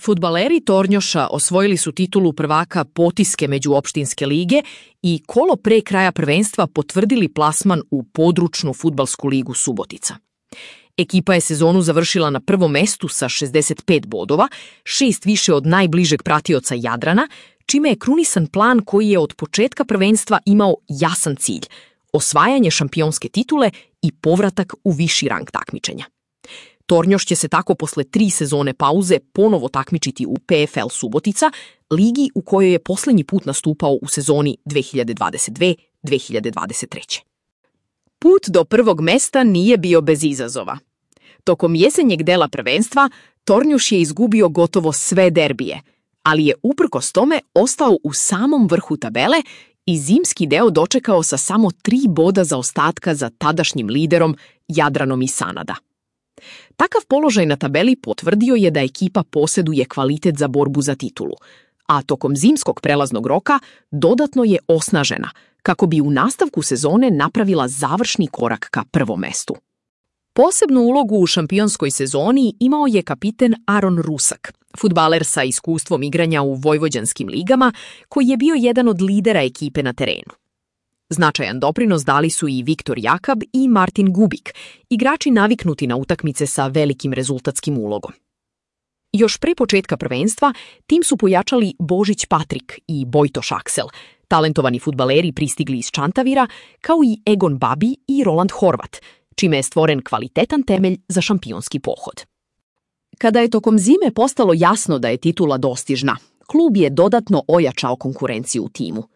Fudbaleri Tornjoša osvojili su titulu prvaka Potiske međuopštinske lige i kolo pre kraja prvenstva potvrdili plasman u područnu fudbalsku ligu Subotica. Ekipa je sezonu završila na prvom mestu sa 65 bodova, 6 više od najbližeg pratioca Jadrana, čime je krunisan plan koji je od početka prvenstva imao jasan cilj – osvajanje šampionske titule i povratak u viši rang takmičenja. Tornjoš će se tako posle 3 sezone pauze ponovo takmičiti u PFL Subotica, ligi u kojoj je poslednji put nastupao u sezoni 2022-2023. Put do prvog mesta nije bio bez izazova. Tokom jesenjeg dela prvenstva Tornjoš je izgubio gotovo sve derbije, ali je uprkos tome ostao u samom vrhu tabele i zimski deo dočekao sa samo 3 boda zaostatka za tadašnjim liderom Jadranom iz Sanada. Takav položaj na tabeli potvrdio je da ekipa posjeduje kvalitet za borbu za titulu, a tokom zimskog prelaznog roka dodatno je osnažena kako bi u nastavku sezone napravila završni korak ka prvom mestu. Posebnu ulogu u šampionskoj sezoni imao je kapiten Aron Rusak, fudbaler sa iskustvom igranja u vojvođanskim ligama, koji je bio jedan od lidera ekipe na terenu. Značajan doprinos dali su i Viktor Jakab i Martin Gubik, igrači naviknuti na utakmice sa velikim rezultatskim ulogom. Još pre početka prvenstva tim su pojačali Božić Patrik i Bojtoš Aksel, talentovani fudbaleri pristigli iz Čantavira, kao i Egon Babi i Roland Horvat, čime je stvoren kvalitetan temelj za šampionski pohod. Kada je tokom zime postalo jasno da je titula dostižna, klub je dodatno ojačao konkurenciju u timu.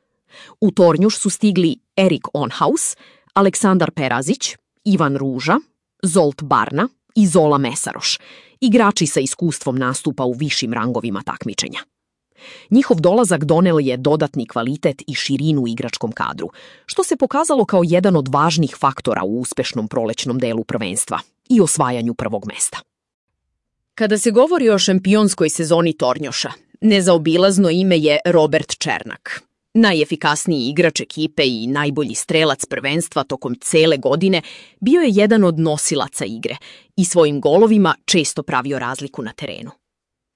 U Tornjoš su stigli Erik Onhaus, Aleksandar Perazić, Ivan Ruža, Zolt Barna i Zola Mesaroš, igrači sa iskustvom nastupa u višim rangovima takmičenja. Njihov dolazak doneo je dodatni kvalitet i širinu u igračkom kadru, što se pokazalo kao jedan od važnih faktora u uspešnom prolećnom delu prvenstva i osvajanju prvog mesta. Kada se govori o šampionskoj sezoni Tornjoša, nezaobilazno ime je Robert Černak. Najefikasniji igrač ekipe i najbolji strelac prvenstva tokom cele godine bio je jedan od nosilaca igre i svojim golovima često pravio razliku na terenu.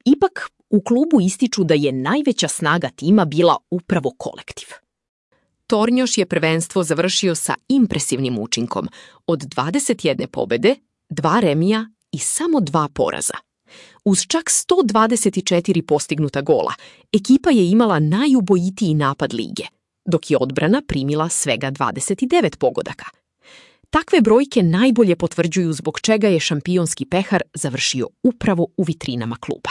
Ipak, u klubu ističu da je najveća snaga tima bila upravo kolektiv. Tornjoš je prvenstvo završio sa impresivnim učinkom od 21 pobede, 2 remija i samo 2 poraza. Uz čak 124 postignuta gola, ekipa je imala najubojitiji napad lige, dok je odbrana primila svega 29 pogodaka. Takve brojke najbolje potvrđuju zbog čega je šampionski pehar završio upravo u vitrinama kluba.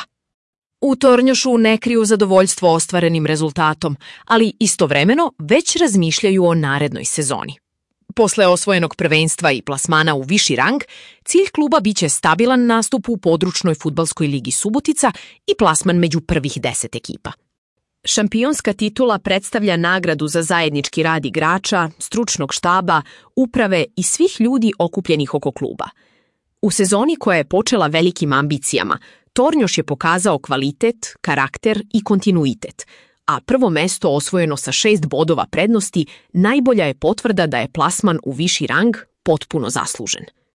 U Tornjošu ne kriju zadovoljstvo ostvarenim rezultatom, ali istovremeno već razmišljaju o narednoj sezoni. Posle osvojenog prvenstva i plasmana u viši rang, cilj kluba biće stabilan nastup u područnoj fudbalskoj ligi Subotica i plasman među prvih 10 ekipa. Šampionska titula predstavlja nagradu za zajednički rad igrača, stručnog štaba, uprave i svih ljudi okupljenih oko kluba. U sezoni koja je počela velikim ambicijama, Tornjoš je pokazao kvalitet, karakter i kontinuitet, a prvo mesto osvojeno sa 6 bodova prednosti najbolja je potvrda da je plasman u viši rang potpuno zaslužen.